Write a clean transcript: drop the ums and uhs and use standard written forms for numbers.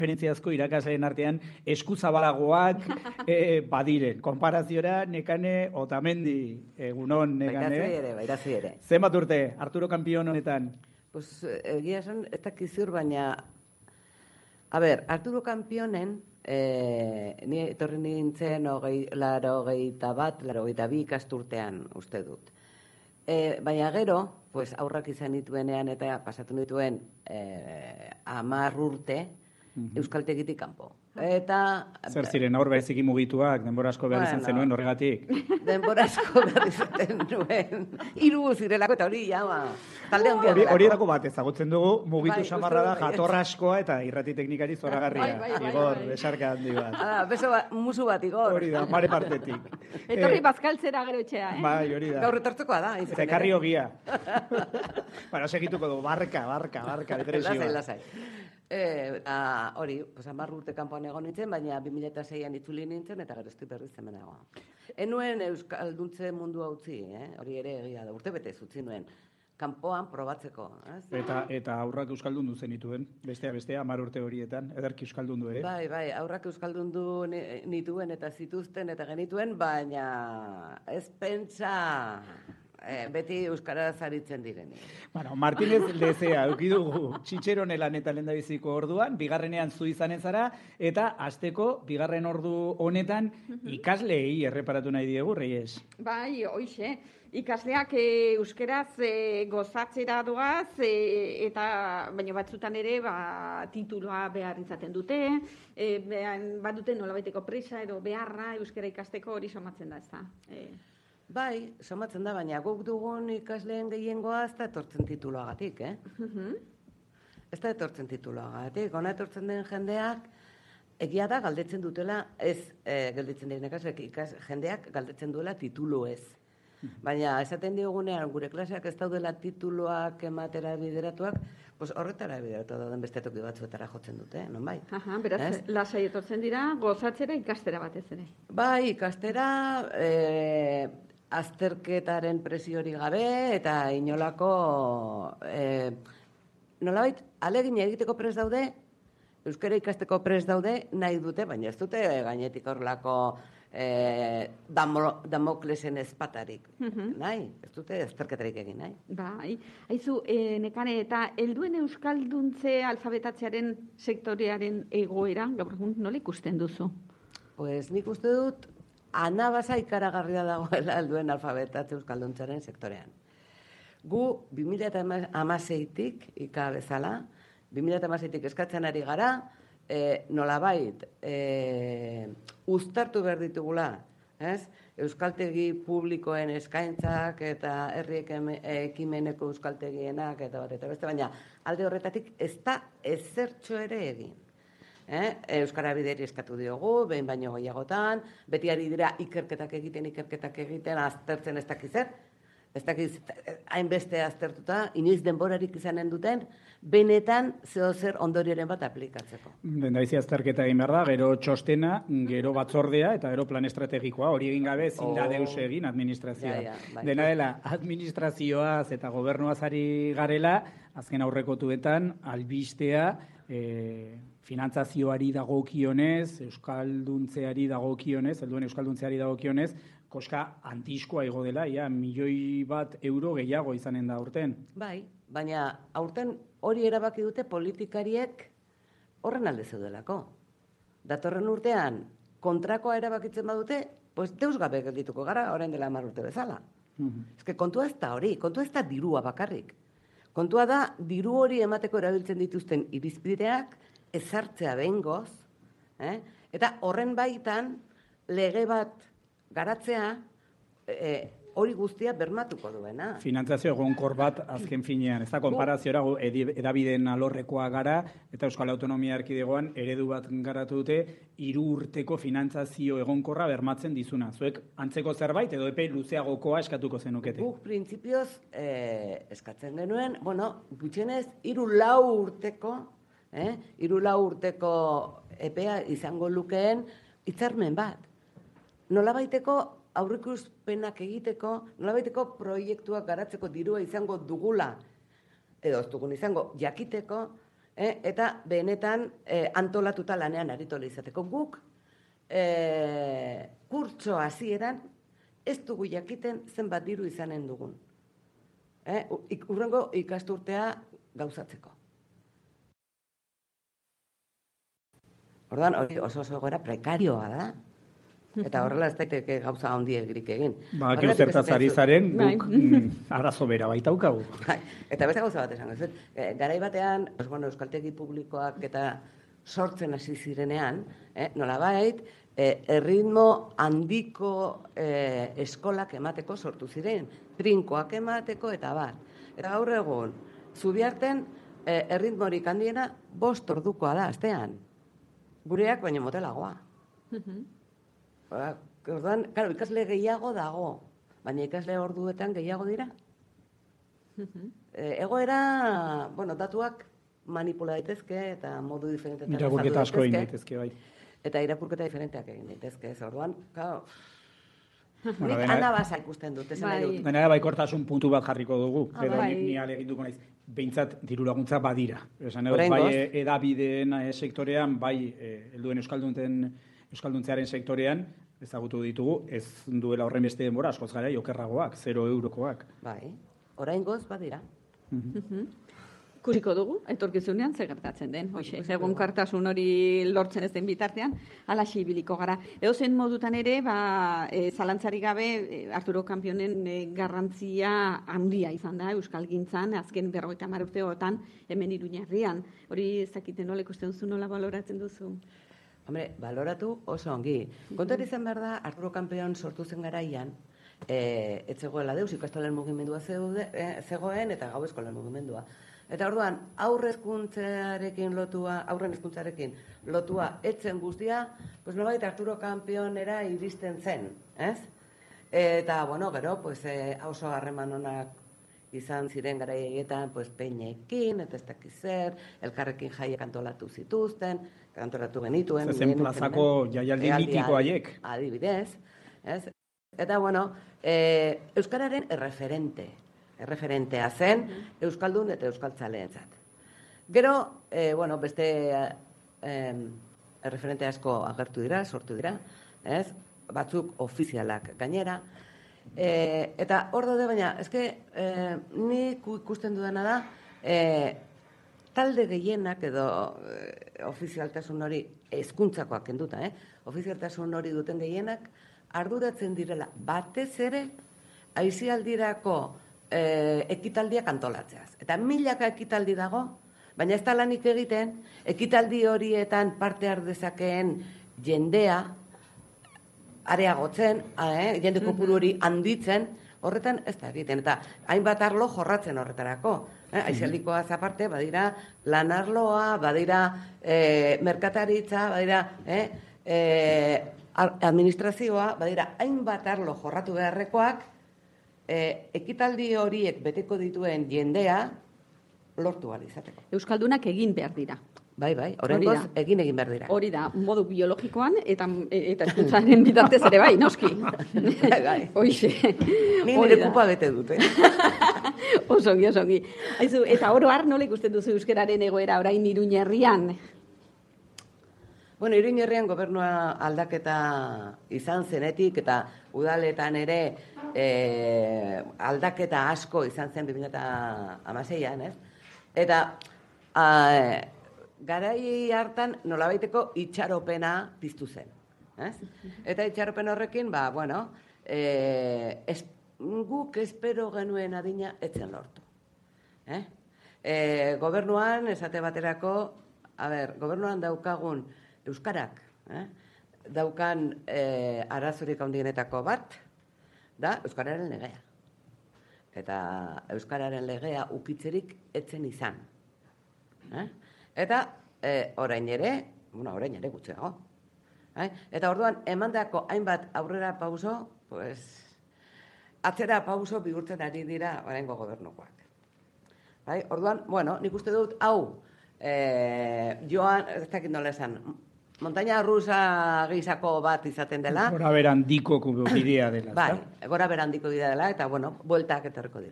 referentziazko irakasleen artean eskuzabalagoak badiren. Konparaziora, Nekane Otamendi, egunon, Nekane. Bairazi ere. Zenbat urte, Arturo Kampion honetan? Pues egia esan, ez dakizur, baina... A ber, Arturo Kampionen, ni etorri nintzen 82 ikasturtean uste dut. Baina gero, pues, aurrak izan dituenean eta pasatu dituen 10 urte, euskaltegitik kanpo. Eta... Zer ziren, aur beziki mugituak, denbora asko behar izan zenuen horregatik? Denbora asko behar izaten nuen. 3 zirelako eta hori jama. Talde handia delako. Hori edako bat ezagutzen dugu, mugitu samarra da, jatorra askoa eta irrati teknikari zoragarria. Igor, besarka handi bat. Beso musu bat, Igor. Hori da, mare partetik. Etorri bazkaltzera gero etxea, Bai, hori da. Gaur etortzekoa da. Eta ekarri ogia. Bara, segituko du, barka, depresioa. Lasai. Hori, 10 urte kanpoan egon nintzen, baina 2006an itzuli nintzen, eta gero estik berriz hemenagoa. Enuen euskalduntze mundu utzi, hori ere egia da, urte betez utzi nuen, kanpoan probatzeko. Eta aurrak euskaldundu zenituen, bestea, 10 urte horietan, ederki euskaldundu ere? Bai, aurrak euskaldundu nituen eta zituzten eta genituen, baina ez pentsa... beti euskaraz aritzen direni. Bueno, Martínez Lezea, eukidugu txitxeronelan eta lendabiziko orduan, bigarrenean zu izanen zara, eta hasteko bigarren ordu honetan ikasleei erreparatu nahi diegu, Reyes. Bai, hoixe. Ikasleak euskeraz gozatzera doaz, eta baina batzutan ere tituloa behar izaten dute, badute nolabaiteko presa edo beharra euskera ikasteko hori somatzen da, ez da. Bai, somatzen da, baina guk dugun ikasleen gehiengoa ez da etortzen tituloagatik, Ez da etortzen tituloagatik. Hona etortzen den jendeak, egia da galdetzen dutela, ez galdetzen diren jendeak galdetzen duela titulu ez. Baina esaten diogunean gure klaseak ez daudela tituloak ematera bideratuak, pues horretara bideratu dauden beste toki batzuetara jotzen dute, non bai? Beraz, lasai etortzen dira, gozatzera ikastera batez ere. Bai, ikastera... azterketaren presiori gabe eta inolako nolabait alegin egiteko prest daude, euskara ikasteko prest daude, nahi dute, baina ez dute gainetik horrelako Damoklesen ezpatarik. Nahi, ez dute azterketarik egin, nahi. Bai, haizu, Nekane, eta helduen euskalduntze alfabetatzearen sektorearen egoera, gaur egun nola ikusten duzu? Pues nik uste dut, anabasa ikaragarria dagoela helduen alfabetatze euskalduntzaren sektorean. Gu 2016tik bezala, 2016tik eskatzen ari gara, nolabait uztartu behar ditugula, euskaltegi publikoen eskaintzak eta herri ekimeneko euskaltegienak eta bat eta beste, baina alde horretatik ez da ezertxo ere egin. Euskara bideri eskatu diogu, behin baino gehiagotan, beti ari dira ikerketak egiten, aztertzen ez dakizer, ez dakiz hainbeste aztertuta, inoiz denborarik izanen duten, benetan zer ondorioren bat aplikatzeko. Dendabizi azterketa egin behar da, gero txostena, gero batzordea, eta gero plan estrategikoa, hori egin gabe, zinda deus egin administrazioa. Dena dela, administrazioaz eta gobernuaz ari garela, azken aurrekotuetan, albistea, finantzazioari dagokionez, euskalduntzeari dagokionez, helduen euskalduntzeari dagokionez, koska antiskoa igo dela, €1.000.000 gehiago izanen da aurten. Bai, baina aurten hori erabaki dute politikariek horren alde zeudelako. Datorren urtean kontrakoa erabakitzen badute, pues deus gabe geldituko gara, orain dela 10 urte bezala. Eske kontua ez da hori, kontua ez da dirua bakarrik. Kontua da, diru hori emateko erabiltzen dituzten irizpideak ezartzea behingoz, eta horren baitan lege bat garatzea hori guztia bermatuko duena. Finantzazio egonkor bat azken finean, ez da konparaziora edabideen alorrekoa gara, eta Euskal Autonomia Erkidegoan eredu bat garatu dute 3 urteko finantzazio egonkorra bermatzen dizuna. Zuek antzeko zerbait edo epe luzeagokoa eskatuko zenukete? Guk printzipioz eskatzen genuen, gutxienez 3-4 urteko, 3-4 urteko epea izango lukeen hitzarmen bat. Nolabaiteko aurreikuspenak egiteko, nolabaiteko proiektuak garatzeko dirua izango dugula, edo ez dugun izango jakiteko, eta benetan antolatuta lanean aritu izateko. Guk kurtso hasieran ez dugu jakiten zenbat diru izanen dugun. Hurrengo ikasturtea gauzatzeko. Orduan, hori oso egoera prekarioa da. Eta horrela ez daiteke gauza handiegirik egin. Ba, gero zertaz ari zaren, guk arazo bera baitaukagu. Eta beste gauza bat esango. Garai batean, euskaltegi publikoak eta sortzen hasi zirenean, nolabait, erritmo handiko eskolak emateko sortu ziren, trinkoak emateko eta bar. Eta gaur egun, Zubiarten erritmorik handiena 5 ordukoa da astean. Gureak baino motelagoa. Orduan, claro, ikasle gehiago dago, baina ikasle orduetan gehiago dira. Egoera, datuak manipula daitezke eta modu diferentetan Irakurketa asko egin daitezke, bai. Eta irakurketa diferenteak egin daitezke, orduan, claro. Nik anabasa ikusten dut, esan nahi dut. Gainera baikortasun puntu bat jarriko dugu, edo ni alegituko naiz. Behintzat diru laguntza badira. Esan edo, bai edabideen sektorean, bai helduen euskalduntzearen sektorean, ezagutu ditugu, ez duela horren beste denbora, askoz gara, okerragoak, 0 eurokoak. Bai, oraingoz badira. Kusiko dugu, etorkizunean zer gertatzen den. Egun kartasun hori lortzen ez den bitartean, alaxe ibiliko gara. Edozein modutan ere, zalantzari gabe, Arturo Kanpionen garrantzia handia izan da, euskalgintzan, azken 50 urteotan, hemen Iruñerrian. Hori ez dakiten nola ikusten duzu, nola baloratzen duzu? Hombre, baloratu oso ongi. Kontuan izan behar da, Arturo Kanpion sortu zen garaian, ez zegoela deus, ikastolen mugimendua zegoen, eta gau eskolen mugimendua. Eta orduan, aurren hezkuntzarekin lotua etzen guztia, pues nolabait Arturo Kanpionera iristen zen, ez? Eta, gero, oso harreman onak izan ziren garaietan, peinekin, eta ez dakiz zer, elkarrekin jaiek antolatu zituzten, antolatu genituen. Zen plazako jaialdi mitiko haiek. Adibidez, ez? Eta, euskararen erreferentea zen euskaldun eta euskaltzaleentzat. Gero, beste erreferente asko agertu dira, sortu dira, ez? Batzuk ofizialak gainera. Eta hor daude, baina, nik ikusten dudana da, talde gehienak edo ofizialtasun hori, hezkuntzakoak kenduta, ofizialtasun hori duten gehienak, arduratzen direla batez ere, aisialdirako ekitaldiak antolatzeaz. Eta milaka ekitaldi dago, baina ez da lanik egiten, ekitaldi horietan parte har dezakeen jendea, areagotzen, jende kopuru hori handitzen, horretan ez da egiten. Eta hainbat arlo jorratzen horretarako. Aisialdikoaz aparte, badira lanarloa, badira merkataritza, badira administrazioa, badira hainbat arlo jorratu beharrekoak, ekitaldi horiek beteko dituen jendea lortu ahal izateko. Euskaldunak egin behar dira. Bai, oraingoz egin behar dira. Hori da, modu biologikoan eta hezkuntzaren bitartez ere bai, noski. Bai. Hoixe. Ni nire kupa bete dute. Osongi. Aizu, eta oro har nola ikusten duzu euskararen egoera orain Iruñerrian? Iruñerrian gobernua aldaketa izan zenetik eta udaletan ere aldaketa asko izan zen 2016an, ez? Eta garai hartan nolabaiteko itxaropena piztu zen, ez? Eta itxaropen horrekin, guk espero genuen adina etzen lortu. Gobernuan, esate baterako, gobernuan daukagun euskarak, daukan arazorik handienetako bat, da euskararen legea. Eta euskararen legea ukitzerik etzen izan. Eta orain ere gutxiago. Eta orduan, emandako hainbat aurrera pauso, atzera pauso bihurtzen ari dira oraingo gobernukoak. Orduan, nik uste dut, joan, ez dakit nola esan, montaña rusa gisako bat izaten dela. Gora berandiko bidea dela. Bai, gora berandiko bidea dela, eta, bueltak etorriko dira.